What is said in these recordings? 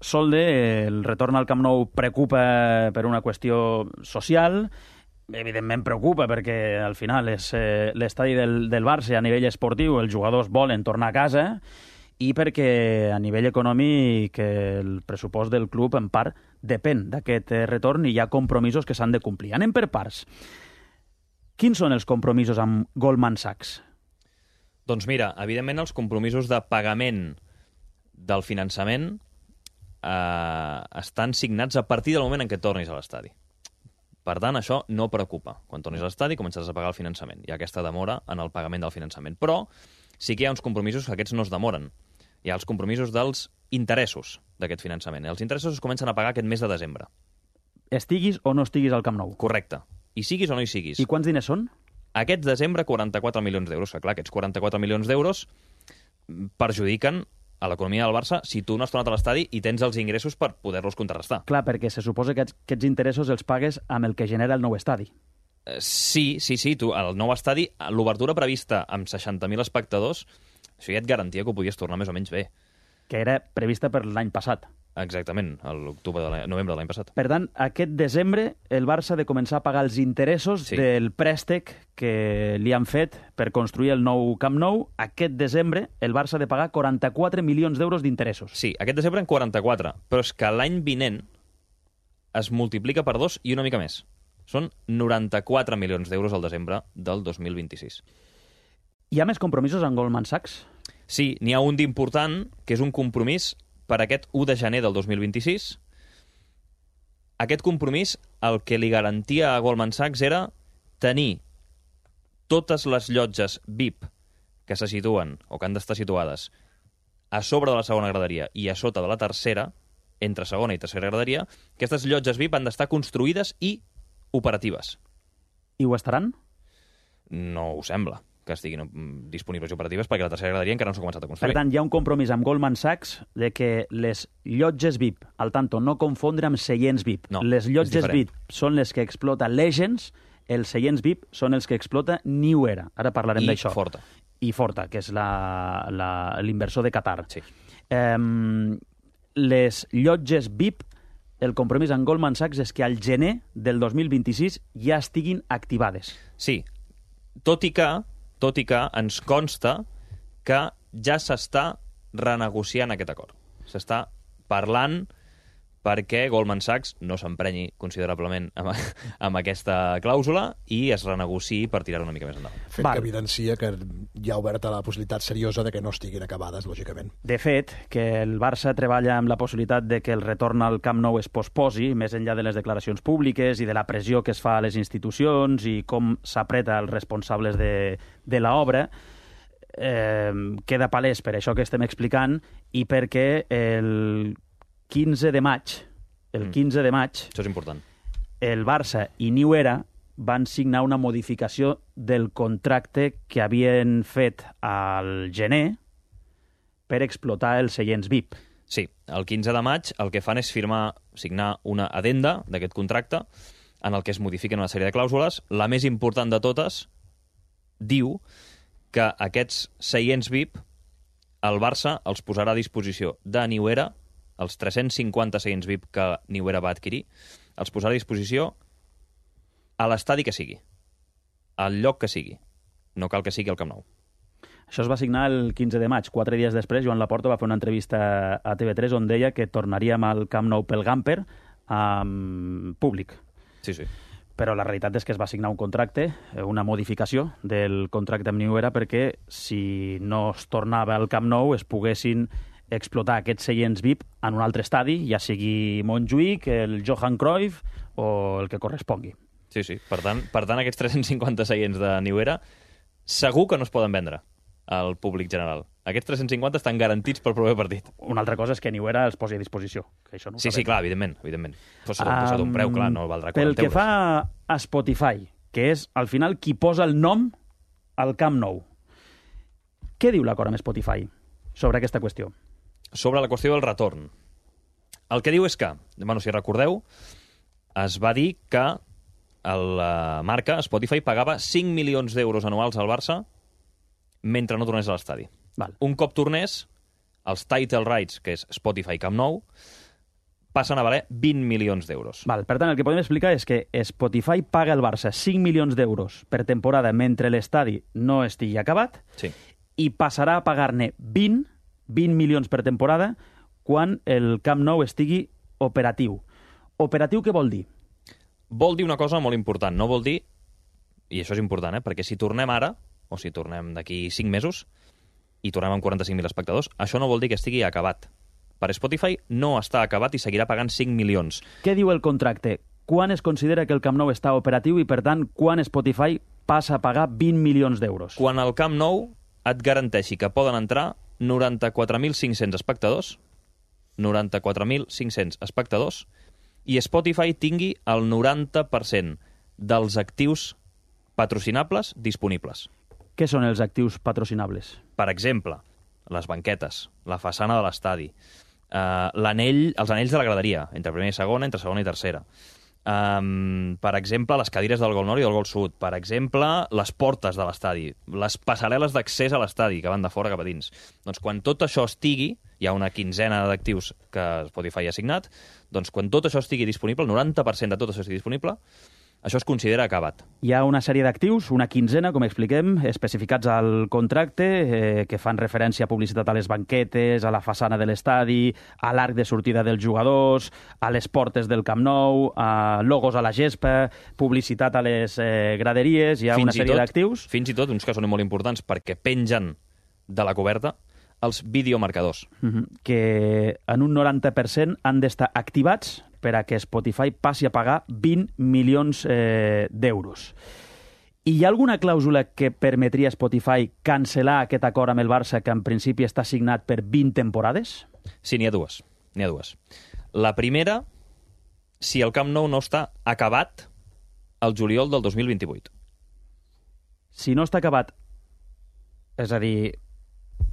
Solde, el retorn al Camp Nou preocupa per una qüestió social, evidentment preocupa perquè al final és l'estadi del Barça a nivell esportiu, els jugadors volen tornar a casa, i perquè a nivell econòmic el pressupost del club en part depèn d'aquest retorn i hi ha compromisos que s'han de complir. Anem per parts. Quins són els compromisos amb Goldman Sachs? Doncs mira, evidentment els compromisos de pagament del finançament estan signats a partir del moment en què tornis a l'estadi. Per tant, això no preocupa. Quan tornis a l'estadi començaràs a pagar el finançament. Hi ha aquesta demora en el pagament del finançament. Però sí que hi ha uns compromisos que aquests no es demoren. Hi ha els compromisos dels interessos d'aquest finançament. Els interessos es comencen a pagar aquest mes de desembre. Estiguis o no estiguis al Camp Nou. Correcte. Hi siguis o no hi siguis. I quants diners són? Aquest desembre, 44 milions d'euros. Que clar, aquests 44 milions d'euros perjudiquen a l'economia del Barça si tu no has tornat a l'estadi i tens els ingressos per poder-los contrarrestar. Clar, perquè se suposa que aquests interessos els pagues amb el que genera el nou estadi. Sí. Tu, al nou estadi, l'obertura prevista amb 60.000 espectadors, això ja et garantia que ho podies tornar més o menys bé. Que era prevista per l'any passat. Exactament, a novembre de l'any passat. Per tant, aquest desembre el Barça ha de començar a pagar els interessos del préstec que li han fet per construir el nou Camp Nou. Aquest desembre el Barça ha de pagar 44 milions d'euros d'interessos. Sí, aquest desembre en 44, però és que l'any vinent es multiplica per 2 i una mica més. Són 94 milions d'euros al desembre del 2026. Hi ha més compromisos amb Goldman Sachs? Sí, n'hi ha un d'important, que és un compromís per aquest 1 de gener del 2026. Aquest compromís, el que li garantia a Goldman Sachs era tenir totes les llotges VIP que se situen, o que han d'estar situades, a sobre de la segona graderia i a sota de la tercera, entre segona i tercera graderia, aquestes llotges VIP han d'estar construïdes i operatives. I ho estaran? No ho sembla que estiguin disponibles i operatives, perquè la tercera graderia encara no s'ha començat a construir. Per tant, hi ha un compromís amb Goldman Sachs de que les llotges VIP, al tanto, no confondre amb seients VIP. No, les llotges VIP són les que explota Legends, els seients VIP són els que explota New Era. Ara parlarem d'això. I Forta, que és l'inversor de Qatar. Sí. Les llotges VIP, el compromís amb Goldman Sachs és que al gener del 2026 ja estiguin activades. Sí, tot i que ens consta que ja s'està renegociant aquest acord. S'està parlant perquè Goldman Sachs no s'emprenyi considerablement amb aquesta clàusula i es renegociï per tirar una mica més endavant. Fet que evidencia que hi ha oberta la possibilitat seriosa de que no estiguin acabades, lògicament. De fet, que el Barça treballa amb la possibilitat de que el retorn al Camp Nou es posposi, més enllà de les declaracions públiques i de la pressió que es fa a les institucions i com s'apreta els responsables de l'obra, queda palès per això que estem explicant i perquè el 15 de maig, això és important, el Barça i New Era van signar una modificació del contracte que havien fet al gener per explotar els seients VIP. Sí, el 15 de maig el que fan és signar una addenda d'aquest contracte en el que es modifiquen una sèrie de clàusules. La més important de totes diu que aquests seients VIP el Barça els posarà a disposició de New Era, els 350 seients VIP que New Era va adquirir, els posarà a disposició a l'estadi que sigui, al lloc que sigui. No cal que sigui al Camp Nou. Això es va signar el 15 de maig. 4 dies després, Joan Laporta va fer una entrevista a TV3 on deia que tornaríem al Camp Nou pel Gamper amb públic. Sí. Però la realitat és que es va signar un contracte, una modificació del contracte amb New Era perquè si no es tornava al Camp Nou es poguessin explotar aquests seients VIP en un altre estadi, ja sigui Montjuïc, el Johan Cruyff o el que correspongui. Sí. Per tant, aquests 350 seients de New Era segur que no es poden vendre al públic general. Aquests 350 estan garantits pel proper partit. Una altra cosa és que New Era els posi a disposició. Que això no sí, clar, evidentment. Però s'ha d'un preu, clar, no valdrà 40 euros. Pel que fa a Spotify, que és, al final, qui posa el nom al Camp Nou, què diu l'acord amb Spotify sobre aquesta qüestió? Sobre la qüestió del retorn. El que diu és que, si recordeu, es va dir que la marca Spotify pagava 5 milions d'euros anuals al Barça mentre no tornés a l'estadi. Un cop tornés, els title rights, que és Spotify Camp Nou, passen a valer 20 milions d'euros. Val, per tant, el que podem explicar és que Spotify paga al Barça 5 milions d'euros per temporada mentre l'estadi no estigui acabat Sí. i passarà a pagar-ne 20 milions per temporada quan el Camp Nou estigui operatiu. Operatiu què vol dir? Vol dir una cosa molt important, no vol dir, i això és important, perquè si tornem ara, o si tornem d'aquí 5 mesos, i tornem amb 45.000 espectadors, això no vol dir que estigui acabat. Per Spotify no està acabat i seguirà pagant 5 milions. Què diu el contracte? Quan es considera que el Camp Nou està operatiu i, per tant, quan Spotify passa a pagar 20 milions d'euros? Quan el Camp Nou et garanteixi que poden entrar 94.500 espectadors, 94.500 espectadors, i Spotify tingui el 90% dels actius patrocinables disponibles. Què són els actius patrocinables? Per exemple, les banquetes, la façana de l'estadi, els anells de la graderia, entre primera i segona, entre segona i tercera. Per exemple, les cadires del Gol Nord i del Gol Sud. Per exemple, les portes de l'estadi, les passarel·les d'accés a l'estadi, que van de fora cap a dins. Doncs quan tot això estigui, hi ha una quinzena d'actius que Spotify ha assignat, doncs quan tot això estigui disponible, el 90% de tot això estigui disponible, això es considera acabat. Hi ha una sèrie d'actius, una quinzena, com expliquem, especificats al contracte, que fan referència a publicitat a les banquetes, a la façana de l'estadi, a l'arc de sortida dels jugadors, a les portes del Camp Nou, a logos a la gespa, publicitat a les graderies, hi ha una sèrie d'actius. Fins i tot, uns que són molt importants perquè pengen de la coberta, els videomarcadors. Que en un 90% han d'estar activats per a que Spotify passi a pagar 20 milions d'euros. I hi ha alguna clàusula que permetria a Spotify cancel·lar aquest acord amb el Barça que en principi està signat per 20 temporades? Sí, n'hi ha dues. La primera, si el Camp Nou no està acabat el juliol del 2028. Si no està acabat, és a dir,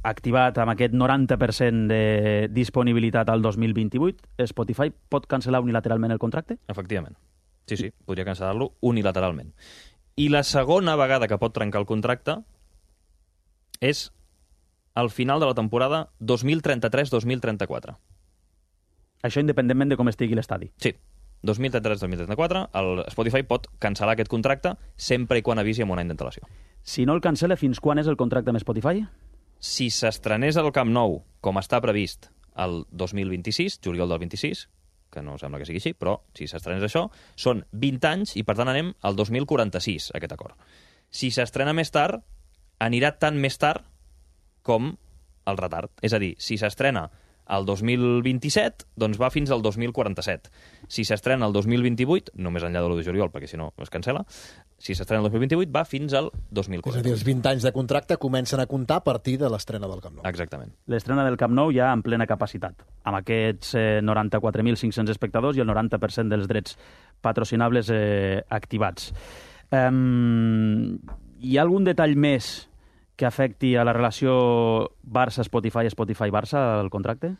activat amb aquest 90% de disponibilitat al 2028, Spotify pot cancel·lar unilateralment el contracte? Efectivament. Sí, podria cancel·lar-lo unilateralment. I la segona vegada que pot trencar el contracte és al final de la temporada 2033-2034. Això independentment de com estigui l'estadi? Sí. 2033-2034, el Spotify pot cancel·lar aquest contracte sempre i quan avisi amb un any d'antelació. Si no el cancel·la, fins quan és el contracte amb Spotify? Si s'estrenés al Camp Nou, com està previst, el 2026, juliol del 26, que no sembla que sigui així, però si s'estrenés això, són 20 anys i, per tant, anem al 2046, aquest acord. Si s'estrena més tard, anirà tan més tard com el retard. És a dir, si s'estrena el 2027, doncs va fins al 2047. Si s'estrena el 2028, només enllà de l'1 de juliol, perquè si no es cancel·la, si s'estrena el 2028 va fins al 2040. És a dir, els 20 anys de contracte comencen a comptar a partir de l'estrena del Camp Nou. Exactament. L'estrena del Camp Nou ja en plena capacitat, amb aquests 94.500 espectadors i el 90% dels drets patrocinables activats. Hi ha algun detall més que afecti a la relació Barça-Spotify, Spotify-Barça, al contracte?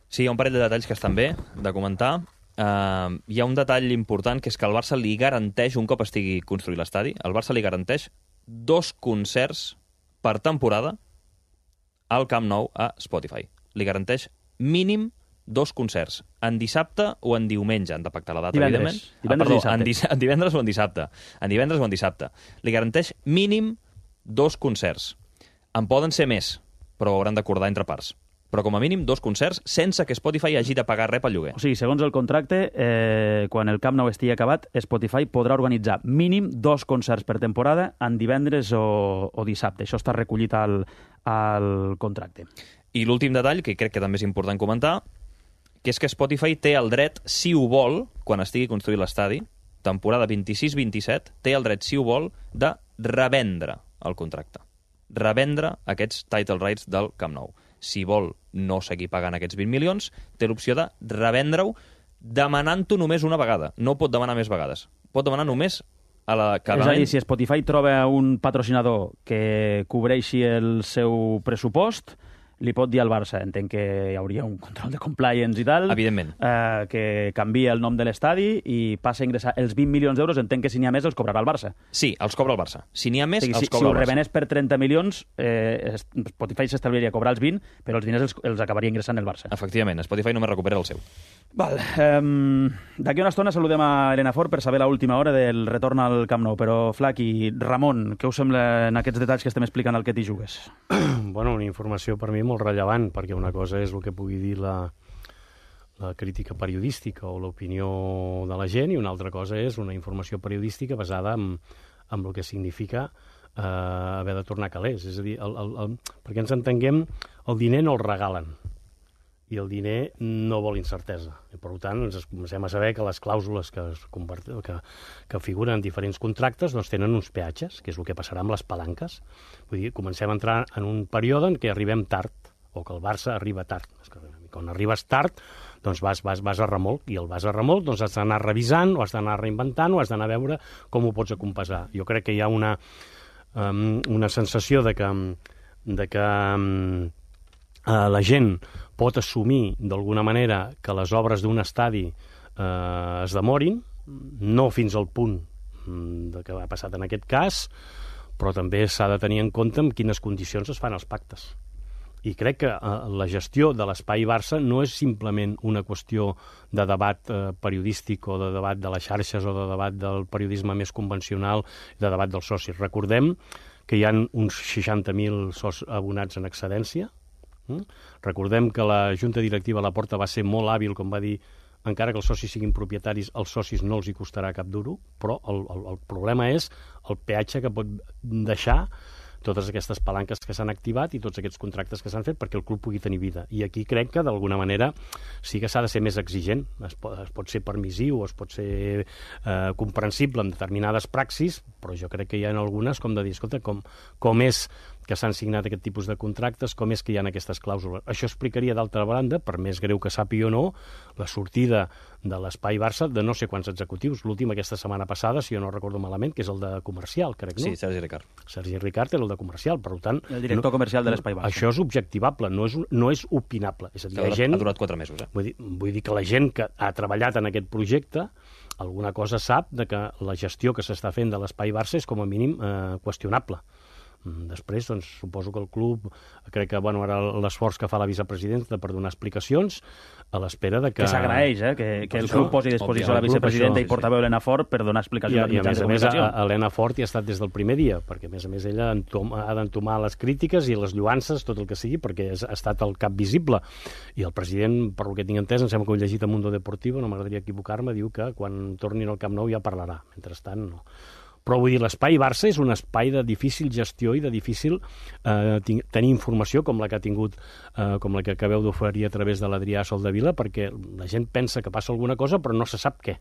Sí, hi ha un parell de detalls que estan bé de comentar. Hi ha un detall important, que és que el Barça li garanteix, un cop estigui construït l'estadi, el Barça li garanteix 2 concerts per temporada al Camp Nou a Spotify. Li garanteix mínim 2 concerts, en dissabte o en diumenge. Han de pactar la data, evidentment. En divendres o en dissabte. En divendres o en dissabte. Li garanteix mínim 2 concerts. En poden ser més, però ho hauran d'acordar entre parts. Però com a mínim 2 concerts sense que Spotify hagi de pagar res pel lloguer. O sigui, segons el contracte, quan el Camp Nou estigui acabat, Spotify podrà organitzar mínim 2 concerts per temporada en divendres o dissabte. Això està recollit al contracte. I l'últim detall, que crec que també és important comentar, que és que Spotify té el dret, si ho vol, quan estigui construït l'estadi, temporada 26-27, té el dret, si ho vol, de revendre el contracte. Revendre aquests title rights del Camp Nou. Si vol no seguir pagant aquests 20 milions, té l'opció de revendre-ho demanant-ho només una vegada. No pot demanar més vegades. Pot demanar només a la... És a dir, si Spotify troba un patrocinador que cobreixi el seu pressupost, li pot dir al Barça, entenc que hi hauria un control de compliance i tal, Evidentment. Que canvia el nom de l'estadi i passa a ingressar els 20 milions d'euros, entenc que si n'hi ha més els cobrarà el Barça. Sí, els cobra el Barça. Si n'hi ha més, els Si cobra ho el Barça. revenés per 30 milions, Spotify s'establiria a cobrar els 20, però els diners els acabaria ingressant el Barça. Efectivament, Spotify només recupera el seu. Val. D'aquí una estona saludem a Elena Fort per saber l'última hora del retorn al Camp Nou, però Flaqui, Ramon, què us sembla en aquests detalls que estem explicant al que t'hi jugues? Bueno, una informació per mi molt rellevant, perquè una cosa és el que pugui dir la crítica periodística o l'opinió de la gent, i una altra cosa és una informació periodística basada en el que significa haver de tornar calés. És a dir, perquè ens entenguem, el diner no el regalen, i el diner no vol incertesa. I, per tant, ens comencem a saber que les clàusules que figuren en diferents contractes doncs tenen uns peatges, que és el que passarà amb les palanques. Vull dir, comencem a entrar en un període en què arribem tard, o que el Barça arriba tard. Quan arribes tard, doncs vas a remolc, i el vas a remolc doncs has d'anar revisant, o has d'anar reinventant, o has d'anar a veure com ho pots acompasar. Jo crec que hi ha una sensació de que la gent pot assumir d'alguna manera que les obres d'un estadi es demorin, no fins al punt que ha passat en aquest cas, però també s'ha de tenir en compte en quines condicions es fan els pactes. I crec que la gestió de l'espai Barça no és simplement una qüestió de debat periodístic o de debat de les xarxes o de debat del periodisme més convencional, de debat dels socis. Recordem que hi ha uns 60.000 abonats en excedència. Recordem que la Junta Directiva a la Porta va ser molt hàbil, com va dir, encara que els socis siguin propietaris, als socis no els hi costarà cap duro, però el problema és el peatge que pot deixar totes aquestes palanques que s'han activat i tots aquests contractes que s'han fet perquè el club pugui tenir vida. I aquí crec que, d'alguna manera, sí que s'ha de ser més exigent. Es pot ser permissiu, es pot ser comprensible en determinades praxis, però jo crec que hi ha algunes com de dir, escolta, com és que s'han signat aquest tipus de contractes, com és que hi ha aquestes clàusules. Això explicaria, d'altra banda, per més greu que sàpiga o no, la sortida de l'espai Barça de no sé quants executius. L'últim aquesta setmana passada, si jo no recordo malament, que és el de comercial, crec, no? Sí, Sergi Ricard. Sergi Ricard era el de comercial, per tant... El director comercial de l'espai Barça. Això és objectivable, no és opinable. És a dir, Ha durat 4 mesos, Vull dir que la gent que ha treballat en aquest projecte alguna cosa sap de que la gestió que s'està fent de l'espai Barça és com a mínim qüestionable. Després, doncs, suposo que el club, crec que, ara l'esforç que fa la vicepresidenta per donar explicacions, a l'espera de que... Que s'agraeix, que el club posi a disposició la vicepresidenta i portaveu Elena Fort per donar explicacions. I a més, Elena Fort hi ha estat des del primer dia, perquè, a més, ella ha d'entomar les crítiques i les lluances, tot el que sigui, perquè ha estat el cap visible. I el president, per el que tinc entès, em sembla que ho he llegit a Mundo Deportivo, no m'agradaria equivocar-me, diu que quan tornin al Camp Nou ja parlarà. Mentrestant, no. Però vull dir, l'espai Barça és un espai de difícil gestió i de difícil tenir informació com la que ha tingut, com la que acabeu d'oferir a través de l'Adrià Soldevila, perquè la gent pensa que passa alguna cosa però no se sap què.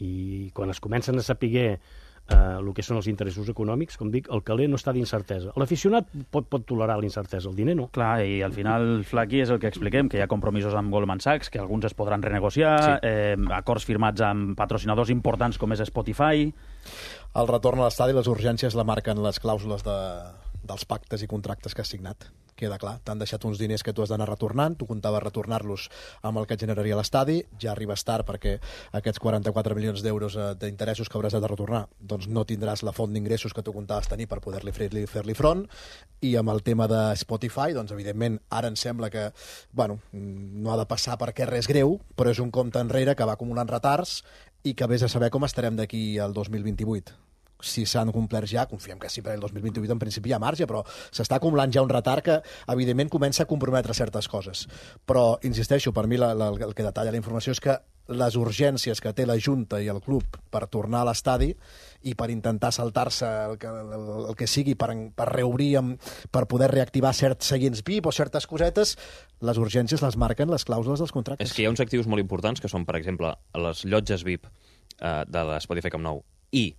I quan es comencen a saber el que són els interessos econòmics, com dic, el caler no està d'incertesa. L'aficionat pot tolerar l'incertesa, el diner no. Clar, i al final, Flaqui, és el que expliquem, que hi ha compromisos amb Goldman Sachs, que alguns es podran renegociar, acords firmats amb patrocinadors importants com és Spotify... El retorn a l'estadi, les urgències la marquen les clàusules dels pactes i contractes que has signat. Queda clar, t'han deixat uns diners que tu has d'anar retornant, tu comptaves retornar-los amb el que et generaria l'estadi, ja arribes tard perquè aquests 44 milions d'euros d'interessos que hauràs de retornar, doncs no tindràs la font d'ingressos que tu comptaves tenir per poder-li fer-li front, i amb el tema de Spotify, doncs evidentment ara em sembla que, no ha de passar perquè res greu, però és un compte enrere que va acumulant retards i que vés a saber com estarem d'aquí al 2028. Si s'han complert ja, confiem que sí, per el 2028 en principi hi ha marge, però s'està acumulant ja un retard que, evidentment, comença a comprometre certes coses. Però, insisteixo, per mi el que detalla la informació és que les urgències que té la Junta i el club per tornar a l'estadi i per intentar saltar-se el que sigui per reobrir, per poder reactivar certs seients VIP o certes cosetes, les urgències les marquen les clàusules dels contractes. És que hi ha uns actius molt importants que són, per exemple, les llotges VIP de l'Spotify Camp Nou i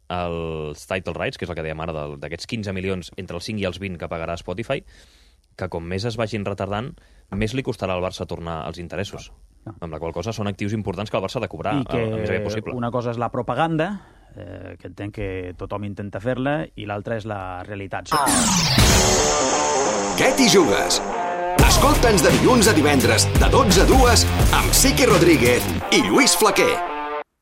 els title rights, que és el que dèiem ara, d'aquests 15 milions entre els 5 i els 20 que pagarà Spotify, que com més es vagin retardant, més li costarà al Barça tornar els interessos. Amb la qual cosa són actius importants que el Barça ha de cobrar el més aviat possible. Una cosa és la propaganda, que entenc que tothom intenta fer-la, i l'altra és la realitat. Què t'hi jugues? Escolta'ns de dilluns a divendres, de 12 a 2, amb Sique Rodríguez i Lluís Flaquer.